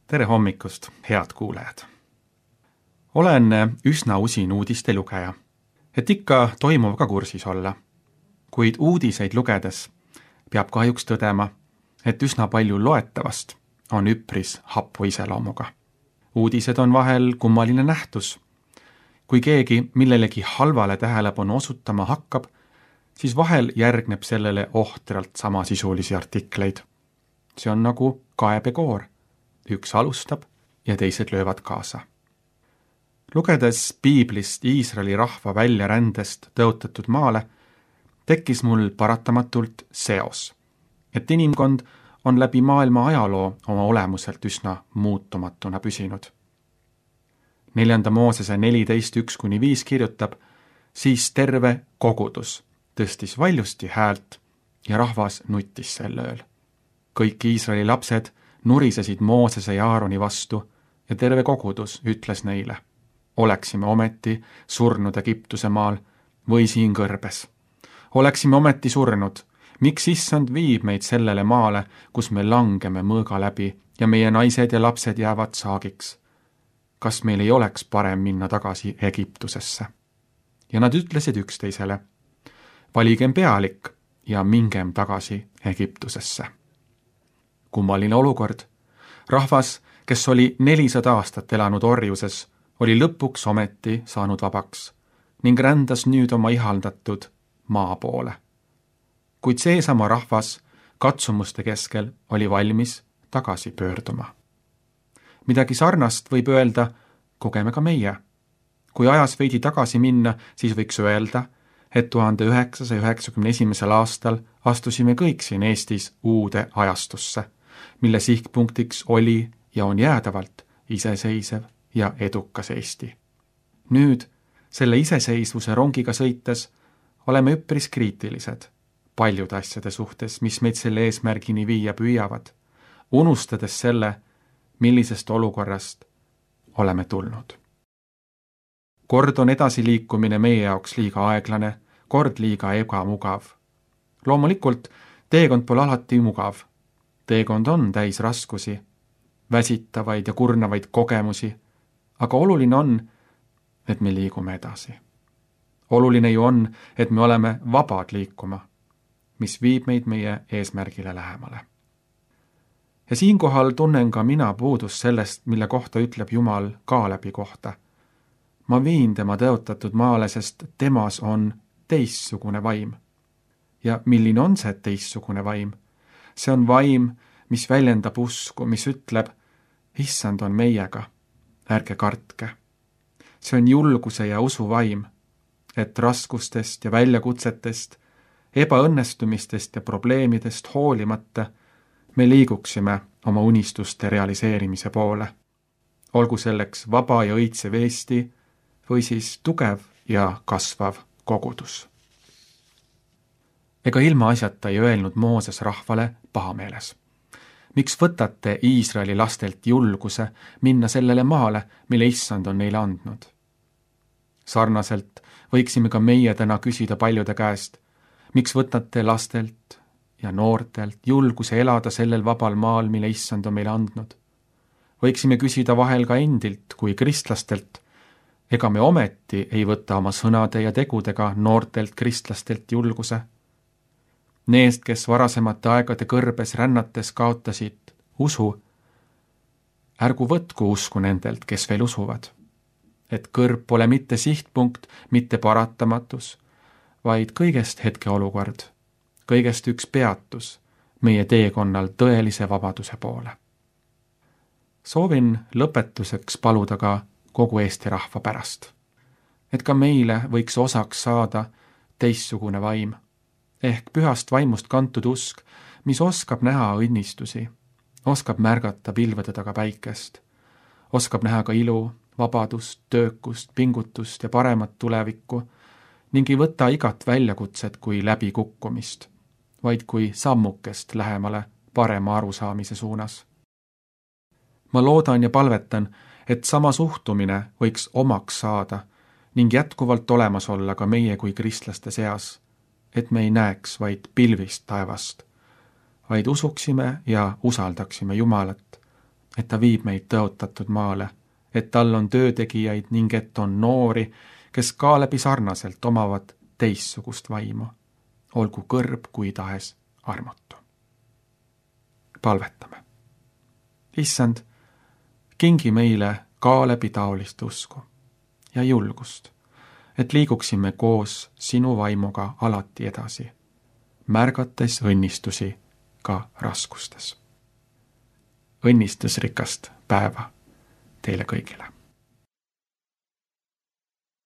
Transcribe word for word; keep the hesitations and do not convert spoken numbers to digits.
Tere hommikust, head kuulajad! Olen üsna usin uudiste lugeja, et ikka toimuvaga kursis olla. Kuid uudiseid lugedes peab kahjuks tõdema, et üsna palju loetavast on üpris happu iseloomuga. Uudised on vahel kummaline nähtus. Kui keegi millelegi halvale tähelepanu osutama hakkab, siis vahel järgneb sellele ohtralt samasisulisi artikleid. See on nagu kaebekoor. Üks alustab ja teised löövad kaasa. Lugedes Piiblist Iisraeli rahva väljarändest tõotatud maale, tekkis mul paratamatult seos, et inimkond on läbi maailma ajaloo oma olemuselt üsna muutumatuna püsinud. Neljanda Moosese neliteist üks kuni viis kirjutab, siis terve kogudus tõstis valjusti häält ja rahvas nuttis sel ööl. Kõik Iisraeli lapsed nurisesid Moosese ja Aaroni vastu ja terve kogudus ütles neile, oleksime ometi surnud Egiptuse maal või siin kõrbes. Oleksime ometi surnud, miks issand viib meid sellele maale, kus me langeme mõõga läbi ja meie naised ja lapsed jäävad saagiks. Kas meil ei oleks parem minna tagasi Egiptusesse? Ja nad ütlesid üksteisele, valigem pealik ja mingem tagasi Egiptusesse. Kummaline olukord. Rahvas, kes oli nelisada aastat elanud orjuses, oli lõpuks ometi saanud vabaks ning rändas nüüd oma ihaldatud maa poole. Kuid seesama rahvas katsumuste keskel oli valmis tagasi pöörduma. Midagi sarnast võib öelda, kogeme ka meie. Kui ajas veidi tagasi minna, siis võiks öelda, et tuhande üheksasaja üheksakümne esimesel aastal astusime kõik siin Eestis uude ajastusse, mille sihtpunktiks oli ja on jäädavalt iseseisev ja edukas Eesti. Nüüd, selle iseseisvuse rongiga sõites, oleme üpris kriitilised paljude asjade suhtes, mis meid selle eesmärgini viia püüavad, unustades selle, millisest olukorrast oleme tulnud. Kord on edasiliikumine meie jaoks liiga aeglane, kord liiga ebamugav. Loomulikult, teekond pole alati mugav. Teekond on täis raskusi, väsitavaid ja kurnavaid kogemusi, aga oluline on, et me liigume edasi. Oluline ju on, et me oleme vabad liikuma, mis viib meid meie eesmärgile lähemale. Ja siinkohal tunnen ka mina puudust sellest, mille kohta ütleb Jumal Kaalebi kohta. Ma viin tema tõotatud maale, sest temas on teissugune vaim. Ja milline on see teissugune vaim? See on vaim, mis väljendab usku, mis ütleb, issand on meiega, ärge kartke. See on julguse ja usu vaim, et raskustest ja väljakutsetest, ebaõnnestumistest ja probleemidest hoolimata me liiguksime oma unistuste realiseerimise poole. Olgu selleks vaba ja õitsev Eesti või siis tugev ja kasvav kogudus. Ega ilma asjata ei öelnud Mooses rahvale pahameeles. Miks võtate Iisraeli lastelt julguse minna sellele maale, mille issand on neile andnud? Sarnaselt võiksime ka meie täna küsida paljude käest, miks võtate lastelt ja noortelt julguse elada sellel vabal maal, mille issand on meile andnud? Võiksime küsida vahel ka endilt kui kristlastelt, ega me ometi ei võta oma sõnade ja tegudega noortelt kristlastelt julguse? Neest, kes varasemate aegade kõrbes rännates kaotasid usu, ärgu võtku usku nendelt, kes veel usuvad, et kõrb pole mitte sihtpunkt, mitte paratamatus, vaid kõigest hetkeolukord, kõigest üks peatus meie teekonnal tõelise vabaduse poole. Soovin lõpetuseks paluda ka kogu Eesti rahva pärast, et ka meile võiks osaks saada teissugune vaim, ehk pühast vaimust kantud usk, mis oskab näha õnnistusi, oskab märgata pilvede taga päikest, oskab näha ka ilu, vabadust, töökust, pingutust ja paremat tulevikku ning ei võta igat väljakutset kui läbikukkumist, vaid kui sammukest lähemale parema arusaamise suunas. Ma loodan ja palvetan, et sama suhtumine võiks omaks saada ning jätkuvalt olemas olla ka meie kui kristlaste seas, et me ei näeks vaid pilvist taevast, vaid usuksime ja usaldaksime Jumalat, et ta viib meid tõotatud maale, et tal on töötegijaid ning et on noori, kes Kaalebi sarnaselt omavad teissugust vaimu, olgu kõrb kui tahes armutu. Palvetame. Issand, kingi meile Kaalebi taolist usku ja julgust, et liiguksime koos sinu vaimuga alati edasi, märgates õnnistusi ka raskustes. Õnnistusrikast päeva teile kõigile!